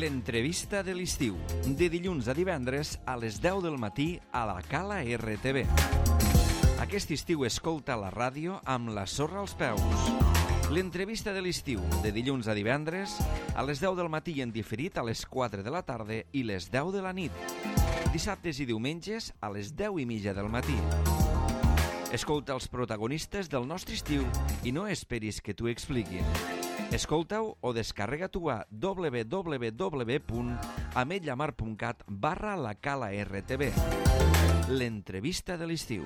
l'entrevista de l'estiu, de dilluns a divendres a les 10 del matí a la Cala RTV. Aquest estiu escolta la ràdio amb la sorra als peus. L'entrevista de l'estiu, de dilluns a divendres, a les 10 del matí i en diferit a les 4 de la tarda i les 10 de la nit. Dissabtes i diumenges a les 10:30 del matí. Escolta els protagonistes del nostre estiu i no esperis que t'ho expliquin. Escolta-ho o descarrega-t'ho a www.ametlllamar.cat/la Cala RTV. L'entrevista de l'estiu.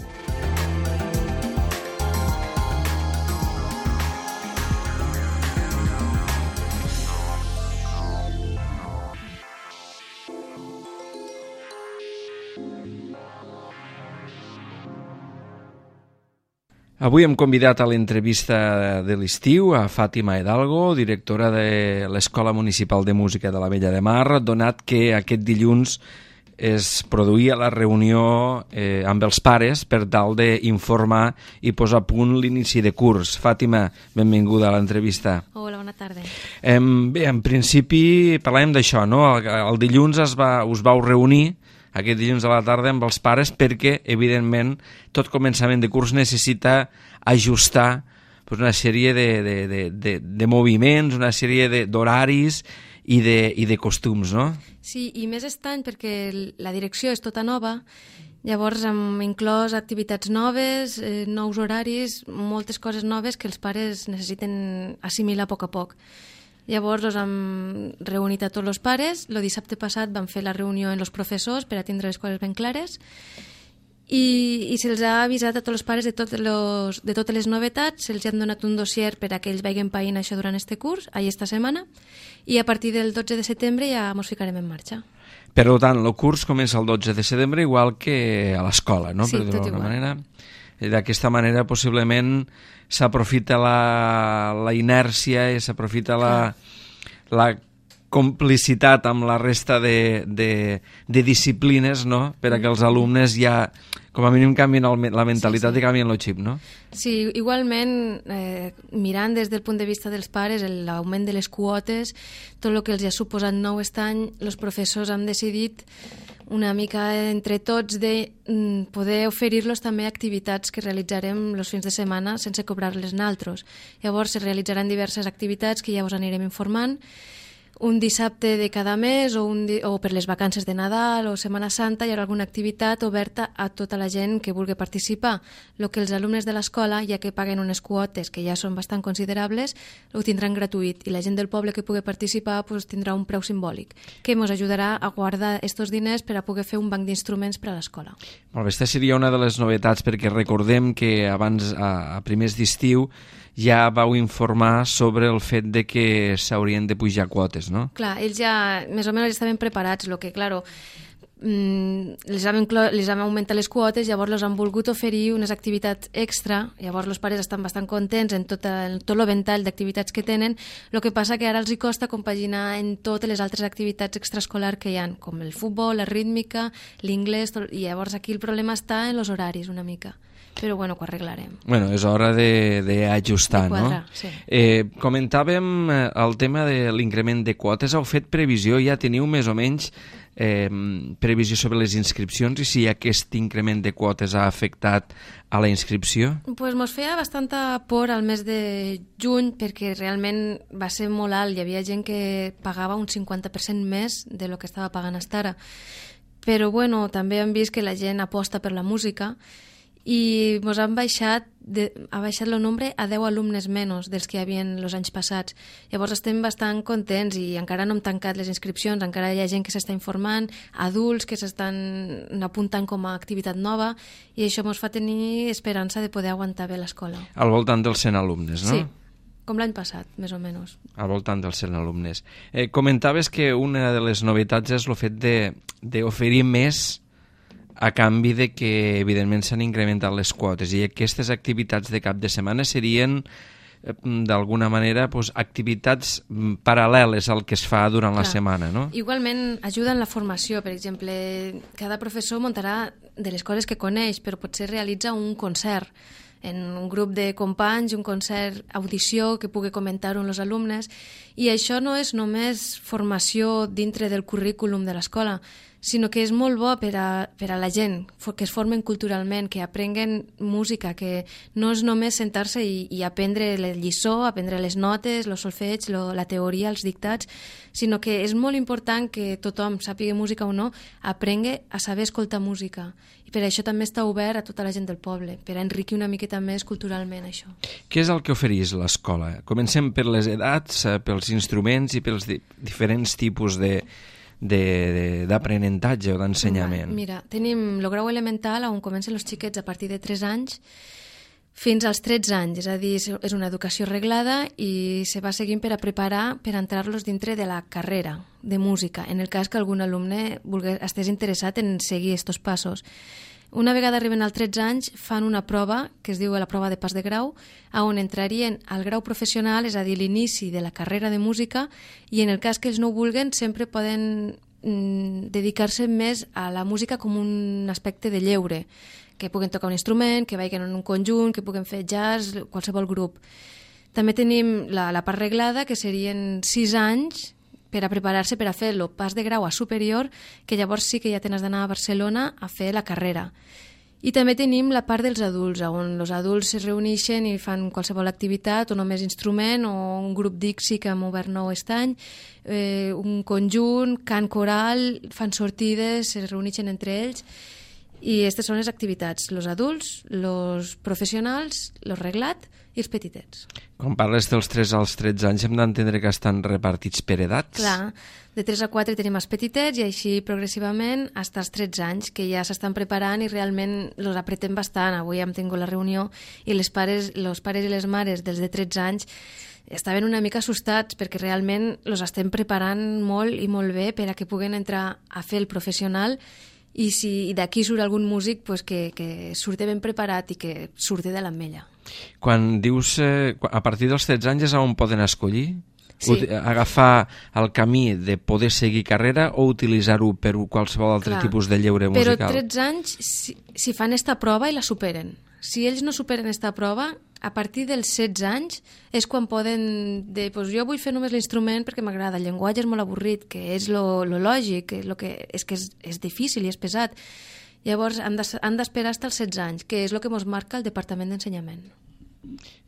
Avui hem convidat a l'entrevista de l'estiu a Fàtima Hidalgo, directora de l'Escola Municipal de Música de l'Ametlla de Mar, donat que aquest dilluns es produïa la reunió amb els pares per tal d'informar i posar a punt l'inici de curs. Fàtima, benvinguda a l'entrevista. Hola, bona tarda. Bé, en principi parlàvem d'això, no? El dilluns us vau reunir aquest dilluns a la tarda amb els pares perquè, evidentment, tot començament de curs necessita ajustar una sèrie de moviments, una sèrie d'horaris i de costums, no? Sí, i més estany perquè la direcció és tota nova, llavors hem inclòs activitats noves, nous horaris, moltes coses noves que els pares necessiten assimilar a poc a poc. Llavors hem reunit a tots els pares. El dissabte passat vam fer la reunió amb els professors per a tindre les coses ben clares i se'ls ha avisat a tots els pares de totes les novetats, se'ls ha donat un dossier per a que ells vagin païnt això durant este curs, aquesta setmana, i a partir del 12 de setembre ja ens ficarem en marxa. Per tant, el curs comença el 12 de setembre igual que a l'escola, no? Sí, tot igual. D'aquesta manera, possiblement, s'aprofita la inèrcia i s'aprofita la complicitat amb la resta de disciplines, no?, per a que els alumnes ja, com a mínim, canvien la mentalitat i canvien el xip, no? Sí, igualment, mirant des del punt de vista dels pares, l'augment de les quotes, tot el que els ha suposat nou aquest any, els professors han decidit una mica entre tots de poder oferir-los també activitats que realitzarem els fins de setmana sense cobrar-les naltros. Llavors es realitzaran diverses activitats que ja us anirem informant, un dissabte de cada mes o per les vacances de Nadal o Setmana Santa hi haurà alguna activitat oberta a tota la gent que vulgui participar. El que els alumnes de l'escola, ja que paguen unes quotes que ja són bastant considerables, ho tindran gratuït i la gent del poble que pugui participar tindrà un preu simbòlic que ens ajudarà a guardar aquests diners per a poder fer un banc d'instruments per a l'escola. Molt bé, aquesta seria una de les novetats perquè recordem que abans, a primers d'estiu, ja vau informar sobre el fet de que s'haurien de pujar quotes, no? Clar, ells ja més o menys estaven preparats, el que, claro, les han augmentat les quotes, llavors els han volgut oferir unes activitats extra, llavors els pares estan bastant contents en tot el ventall d'activitats que tenen, el que passa que ara els hi costa compaginar en totes les altres activitats extraescolars que hi ha, com el futbol, la rítmica, l'inglès, i llavors aquí el problema està en els horaris una mica. Però bueno, ho arreglarem. Bueno, és hora d'ajustar, no? Sí. Comentàvem el tema de l'increment de quotes. Heu fet previsió, ja teniu més o menys previsió sobre les inscripcions i si aquest increment de quotes ha afectat a la inscripció? Pues mos feia bastanta por al mes de juny perquè realment va ser molt alt. Hi havia gent que pagava un 50% més de lo que estava pagant fins ara. Però bueno, també hem vist que la gent aposta per la música i ens ha baixat el nombre a 10 alumnes menys dels que hi havia els anys passats. Llavors estem bastant contents i encara no hem tancat les inscripcions, encara hi ha gent que s'està informant, adults que s'estan apuntant com a activitat nova i això ens fa tenir esperança de poder aguantar bé l'escola. Al voltant dels 100 alumnes, no? Sí, com l'any passat, més o menys. Al voltant dels 100 alumnes. Comentaves que una de les novetats és el fet d'oferir més a canvi de que, evidentment, s'han incrementat les quotes i aquestes activitats de cap de setmana serien, d'alguna manera, activitats paral·leles al que es fa durant la setmana, no? Igualment, ajuda en la formació. Per exemple, cada professor muntarà de les coses que coneix, però potser realitza un concert en un grup de companys, un concert, audició, que pugui comentar-ho amb els alumnes. I això no és només formació dintre del currículum de l'escola, sinó que és molt bo per a la gent, que es formen culturalment, que aprenguen música, que no és només sentar-se i aprendre la lliçó, aprendre les notes, el solfeig, la teoria, els dictats, sinó que és molt important que tothom, sàpiga música o no, aprengui a saber escoltar música. I per això també està obert a tota la gent del poble, per a enriquir una miqueta més culturalment això. Què és el que ofereix l'escola? Comencem per les edats, pels instruments i pels diferents tipus d'aprenentatge o d'ensenyament. Mira, tenim el grau elemental on comencen els xiquets a partir de 3 anys fins als 13 anys, és a dir, és una educació reglada i se va seguint per a preparar per entrar-los dintre de la carrera de música, en el cas que algun alumne estés interessat en seguir aquests passos. Una vegada arriben als 13 anys, fan una prova, que es diu la prova de pas de grau, on entrarien al grau professional, és a dir, l'inici de la carrera de música, i en el cas que ells no ho vulguen, sempre poden dedicar-se més a la música com un aspecte de lleure, que puguen tocar un instrument, que vagin en un conjunt, que puguen fer jazz, qualsevol grup. També tenim la part reglada, que serien 6 anys, per a preparar-se per a fer el pas de grau a superior, que llavors sí que ja tens d'anar a Barcelona a fer la carrera. I també tenim la part dels adults, on els adults es reuneixen i fan qualsevol activitat, o només instrument, o un grup Dixi que hem obert nou aquest any, un conjunt, cant coral, fan sortides, es reuneixen entre ells, i aquestes són les activitats, els adults, els professionals, el reglat i els petitets. Quan parles dels 3 als 13 anys hem d'entendre que estan repartits per edats? Clar, de 3 a 4 tenim els petitets i així progressivament fins als 13 anys, que ja s'estan preparant i realment els apretem bastant. Avui hem tingut la reunió i els pares i les mares dels de 13 anys estaven una mica assustats perquè realment els estem preparant molt i molt bé per a que puguen entrar a fer el professional i si d'aquí surt algun músic pues que surti ben preparat i que surti de l'ametlla. Quan dius a partir dels 13 anys és on poden escollir? Sí. Agafar el camí de poder seguir carrera o utilitzar-ho per qualsevol altre tipus de lleure musical? Però 13 anys, si fan esta prova i la superen. Si ells no superen esta prova, a partir dels 16 anys és quan poden dir, pues jo vull fer només l'instrument perquè m'agrada, el llenguatge és molt avorrit, que és lo lògic, és que és difícil i és pesat. Llavors han d'esperar fins als 16 anys, que és el que ens marca el Departament d'Ensenyament.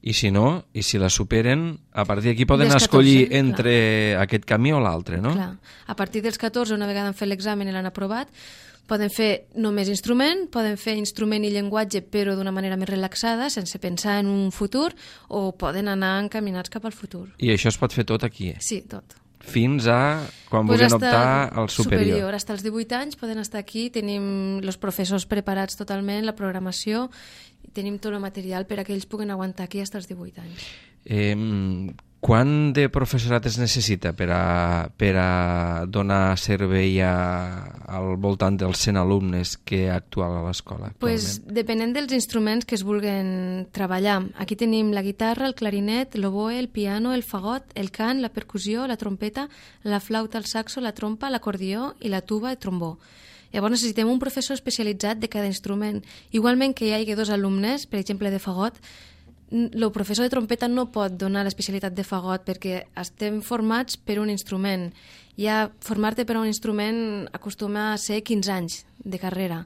I si no, i si la superen, a partir d'aquí poden escollir entre aquest camí o l'altre, no? Clar. A partir dels 14, una vegada han fet l'examen i l'han aprovat, poden fer només instrument, poden fer instrument i llenguatge però d'una manera més relaxada, sense pensar en un futur, o poden anar encaminats cap al futur. I això es pot fer tot aquí? Sí, tot. Fins a quan vulguin optar al superior. Fins als 18 anys poden estar aquí, tenim els professors preparats totalment, la programació, tenim tot el material per a que ells puguen aguantar aquí fins als 18 anys. Quant de professorat es necessita per a donar servei al voltant dels 100 alumnes que actuen a l'escola? Pues, depenent dels instruments que es vulguin treballar. Aquí tenim la guitarra, el clarinet, l'oboe, el piano, el fagot, el cant, la percussió, la trompeta, la flauta, el saxo, la trompa, l'acordió i la tuba i trombó. Llavors necessitem un professor especialitzat de cada instrument. Igualment que hi hagi 2 alumnes, per exemple de fagot, el professor de trompeta no pot donar l'especialitat de fagot perquè estem formats per un instrument. Ja formar-te per un instrument acostuma a ser 15 anys de carrera.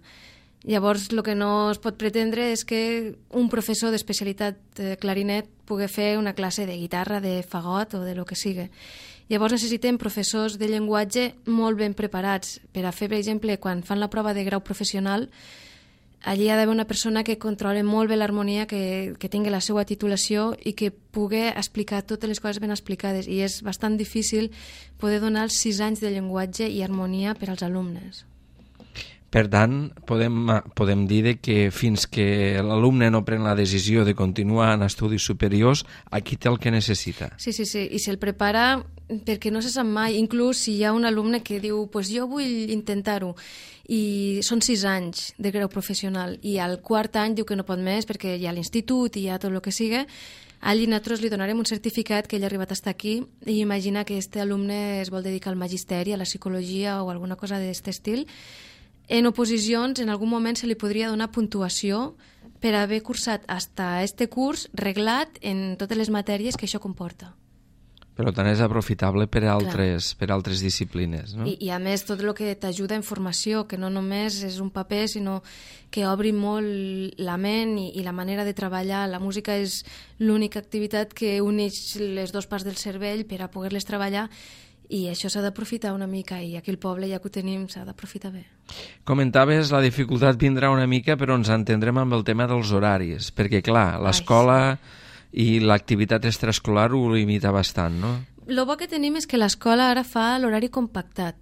Llavors, el que no es pot pretendre és que un professor d'especialitat de clarinet pugui fer una classe de guitarra, de fagot o de lo que sigui. Llavors necessitem professors de llenguatge molt ben preparats per a fer, per exemple, quan fan la prova de grau professional, allí ha d'haver una persona que controli molt bé l'harmonia, que tingui la seva titulació i que pugui explicar totes les coses ben explicades. I és bastant difícil poder donar els 6 anys de llenguatge i harmonia per als alumnes. Per tant, podem dir que fins que l'alumne no pren la decisió de continuar en estudis superiors, aquí té el que necessita. Sí, i se'l prepara perquè no se sap mai. Inclús si hi ha un alumne que diu pues jo vull intentar-ho, i són 6 anys de grau professional, i al 4º any diu que no pot més perquè hi ha l'institut i hi ha tot el que sigui, allí nosaltres li donarem un certificat que ell ha arribat a estar aquí, i imagina que aquest alumne es vol dedicar al magisteri, a la psicologia o alguna cosa d'aquest estil. En oposicions, en algun moment se li podria donar puntuació per haver cursat hasta este curs reglat en totes les matèries que això comporta. Per tant, és aprofitable per altres disciplines, no? I a més, tot el que t'ajuda en formació, que no només és un paper, sinó que obri molt la ment i la manera de treballar. La música és l'única activitat que uneix les dues parts del cervell per a poder-les treballar, i això s'ha d'aprofitar una mica, i aquí al poble, ja que ho tenim, s'ha d'aprofitar bé. Comentaves, la dificultat vindrà una mica, però ens entendrem amb el tema dels horaris, perquè, clar, l'escola i l'activitat extraescolar ho limita bastant, no? El bo que tenim és que l'escola ara fa l'horari compactat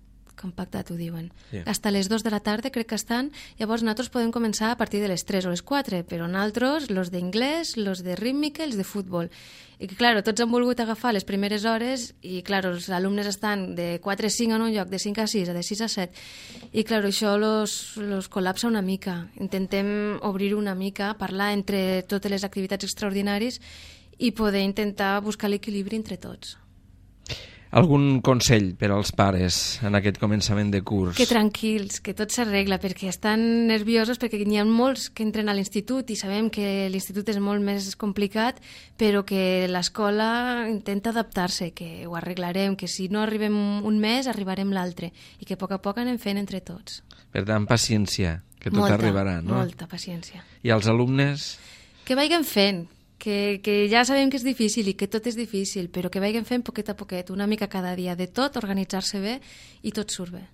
ho diuen. Sí. Hasta les 2 de la tarda crec que estan, llavors nosaltres podem començar a partir de les 3 o les 4, però nosaltres, los d'inglès, los de rítmica, els de futbol. I que, clar, tots han volgut agafar les primeres hores i, clar, els alumnes estan de 4 a 5 en un lloc, de 5 a 6, de 6 a 7, i, clar, això los col·lapsa una mica. Intentem obrir una mica, parlar entre totes les activitats extraordinaris i poder intentar buscar l'equilibri entre tots. Algun consell per als pares en aquest començament de curs? Que tranquils, que tot s'arregla, perquè estan nerviosos, perquè n'hi ha molts que entren a l'institut i sabem que l'institut és molt més complicat, però que l'escola intenta adaptar-se, que ho arreglarem, que si no arribem un mes arribarem l'altre, i que a poc anem fent entre tots. Per tant, paciència, que tot arribarà, no? Molta paciència. I els alumnes? Que vagin fent, que ja sabem que és difícil i que tot és difícil, però que vagin fent poquet a poquet, una mica cada dia, de tot, organitzar-se bé i tot surt bé.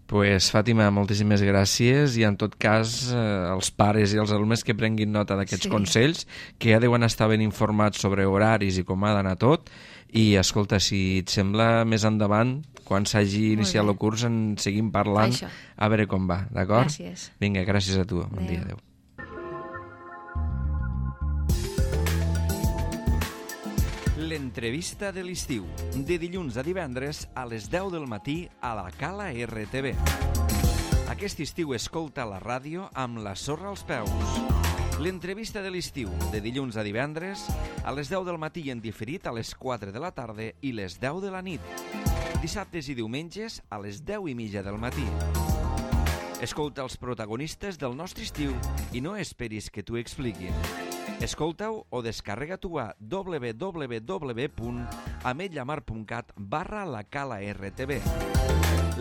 Pues, Fàtima, moltíssimes gràcies, i en tot cas els pares i els alumnes que prenguin nota d'aquests consells, que ja deuen estar ben informats sobre horaris i com ha d'anar tot, i escolta, si et sembla, més endavant, quan s'hagi iniciat el curs, en seguim parlant, a veure com va, d'acord? Gràcies. Vinga, gràcies a tu, bon dia, adeu. L'entrevista de l'estiu, de dilluns a divendres a les 10 del matí a la Cala RTV. Aquest estiu escolta la ràdio amb la sorra als peus. L'entrevista de l'estiu, de dilluns a divendres a les 10 del matí i en diferit a les 4 de la tarda i les 10 de la nit. Dissabtes i diumenges a les 10:30 del matí. Escolta els protagonistes del nostre estiu i no esperis que t'ho expliquin. Escolta-ho o descarrega-t'ho a www.ametlllamar.cat/la Cala RTV.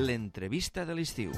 L'entrevista de l'estiu.